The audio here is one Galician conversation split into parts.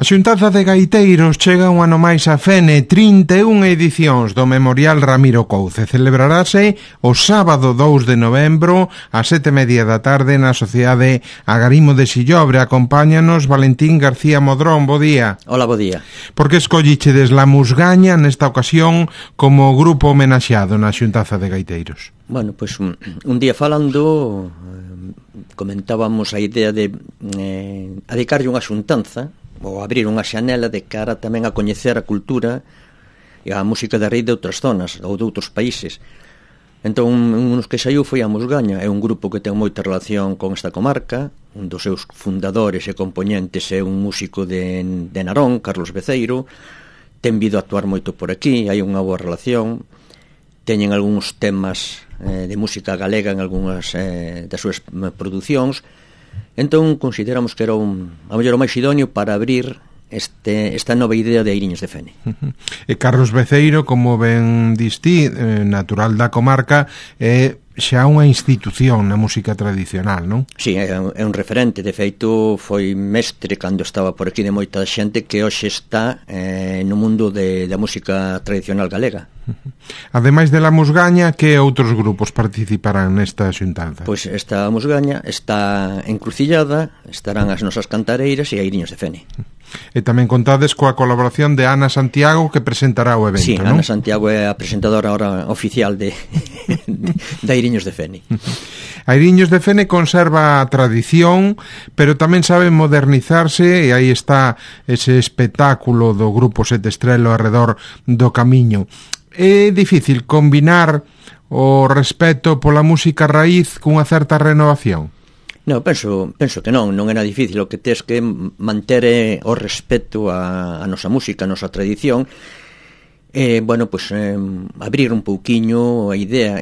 A Xuntanza de Gaiteiros chega un ano máis a Fene, 31 edicións do Memorial Ramiro Couce. Celebrarase o sábado 2 de novembro a 7:30 da tarde na Sociedade Agarimo de Sillobre. Acompáñanos Valentín García Modrón, bo día. Hola, bo día. Por que escollichedes La Musgaña nesta ocasión como grupo homenaxeado na Xuntanza de Gaiteiros? Bueno, pois un día falando comentábamos a idea de adicarlle unha xuntanza ou abrir unha xanela de cara tamén a coñecer a cultura e a música da raíz de outras zonas ou de outros países. Entón, un dos que saiu foi a Musgaña. É un grupo que ten moita relación con esta comarca. Un dos seus fundadores e componentes é un músico de Narón, Carlos Beceiro. Ten vido a actuar moito por aquí, hai unha boa relación. Teñen algúns temas de música galega en algunhas das súas producións. Entón consideramos que era a mellor o máis idóneo para abrir esta nova idea de Airiños de Fene. E Carlos Beceiro, como ben distí, natural da comarca, é xa unha institución na música tradicional, non? Sí, é un referente. De feito, foi mestre cando estaba por aquí de moita xente que hoxe está no mundo da música tradicional galega. Ademais de La Musgaña, que outros grupos participarán nesta xuntanza? Pois esta Musgaña está encrucillada, estarán as nosas cantareiras e Airiños de Fene. E tamén contades coa colaboración de Ana Santiago, que presentará o evento, sí, non? Ana Santiago é a presentadora ahora oficial de Airiños de Fene. Airiños de Fene conserva a tradición, pero tamén sabe modernizarse, e aí está ese espectáculo do Grupo Sete Estrelo arredor do Camiño. É difícil combinar o respeto pola música raíz cunha certa renovación? No, penso que non é nada difícil. O que tes que manter o respeto a nosa música, a nosa tradición. Bueno, pues abrir un pouquiño a idea.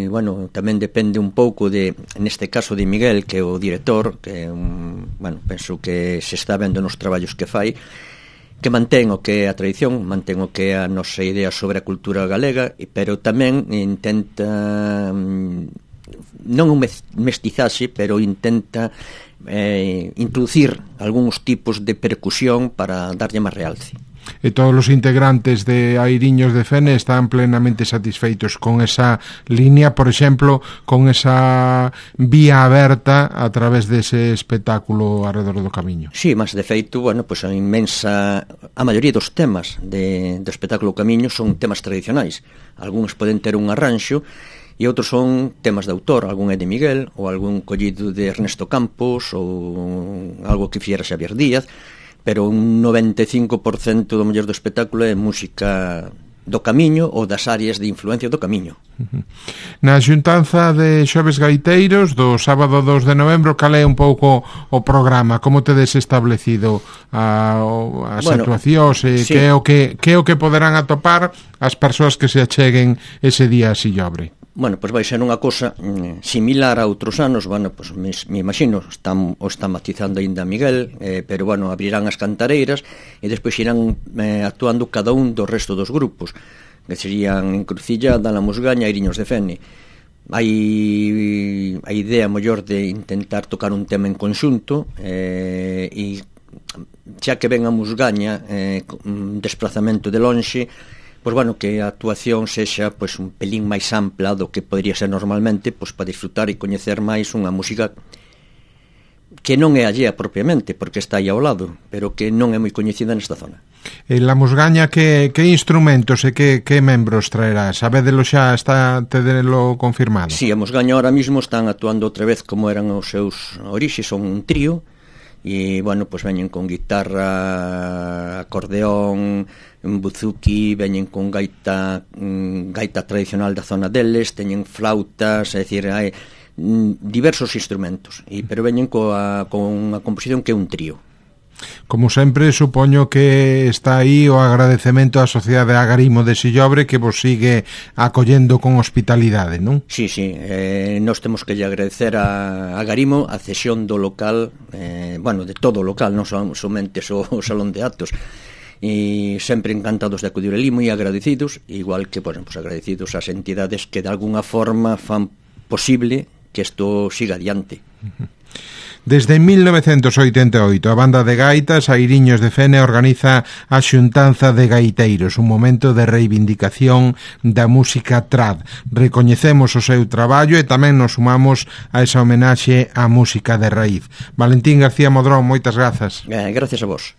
Bueno, tamén depende un pouco neste caso de Miguel, que é o director, que bueno, penso que se está vendo nos traballos que fai, que mantén o que é a tradición, mantén o que é a nosa idea sobre a cultura galega, pero tamén intenta non un mestizaxe, pero intenta introducir algúns tipos de percusión para darlle máis realce. E todos os integrantes de Airiños de Fene están plenamente satisfeitos con esa línea, por exemplo, con esa vía aberta a través dese espectáculo arredor do Camiño. Sí, mas de feito, bueno, pues a maioría dos temas do espectáculo Camiño son temas tradicionais. Algúns poden ter un arranxo e outros son temas de autor, algún é de Miguel ou algún collido de Ernesto Campos ou algo que fixera Xavier Díaz, pero un 95% do mellor do espectáculo é música do Camiño ou das áreas de influencia do Camiño. Na xuntanza de Xoves Gaiteiros do sábado 2 de novembro, cal é un pouco o programa? Como tedes establecido as actuacións e sí, que é o que poderán atopar as persoas que se acheguen ese día a Sillobre? Bueno, pois vai ser unha cosa similar a outros anos. Bueno, pois me imagino, o está matizando ainda Miguel, pero bueno, abrirán as cantareiras e despois irán actuando cada un do resto dos grupos, que serían Encrucillada, La Musgaña e Airiños de Fene. Hai a idea mellor de intentar tocar un tema en conxunto, e xa que ven a Musgaña un desplazamento de lonxe, pois bueno, que a actuación sexa pois un pelín máis ampla do que podría ser normalmente, pois para disfrutar e coñecer máis unha música que non é allea propiamente, porque está aí ao lado, pero que non é moi coñecida nesta zona. E La Musgaña, que instrumentos e que membros traerá? Sabédelo xa, tedelo confirmado? Sí, a Musgaña ahora mismo están actuando outra vez como eran os seus orixes, son un trío, e, bueno, pues veñen con guitarra, acordeón, buzuki, veñen con gaita tradicional da zona deles, teñen flautas, é dicir, hai diversos instrumentos, pero veñen con unha composición que é un trío. Como sempre, supoño que está aí o agradecemento á Sociedade Agarimo de Sillobre, que vos sigue acollendo con hospitalidade, non? Sí, nós temos que lle agradecer a Agarimo a cesión do local, bueno, de todo o local, non somente o salón de actos, e sempre encantados de acudir ali, moi agradecidos, igual que, pues, agradecidos ás entidades que de alguna forma fan posible que isto siga adiante. Desde 1988 a banda de gaitas Airiños de Fene organiza a xuntanza de gaiteiros, un momento de reivindicación da música trad. Recoñecemos o seu traballo e tamén nos sumamos a esa homenaxe á música de raíz. Valentín García Modrón, moitas grazas. Gracias a vos.